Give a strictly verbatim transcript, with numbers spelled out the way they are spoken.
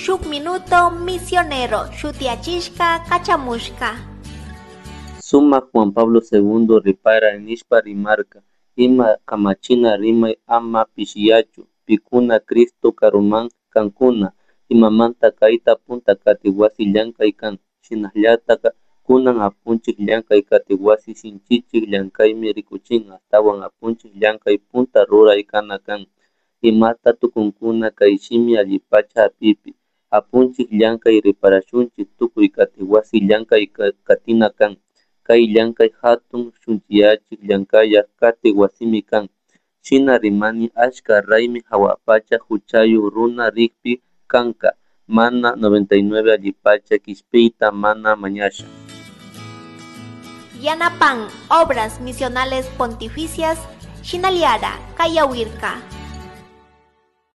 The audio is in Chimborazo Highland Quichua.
Shuk Minuto Misionero shutiyachishka kachamushka. Sumak Juan Pablo Segundo ripara nishpa rimarka ima kamachina rimay ama pishiyachu pikuna Cristo karuman kankuna imamanta kayta punta katik wasi llankay kan shinallatak kunan apunchik llankay katik wasi sinchichik llankaymi rikuchin ashtawan apunchik llankay punta ruray kana kan imata tukunkuna kay shimi allipacha hapipi apunchik llankay riparashunchik tukuy katik wasi llankay katina kan kay llankay hatun shunchiyachik llankaya katik wasimi kan shina rimani achka raymi hawapacha huchayuk runa rikpi kanka mana noventa y nueve allipacha kishpiyta mana mañasha. Yanapan Obras Misionales Pontificias Shinaliara Kayawirka.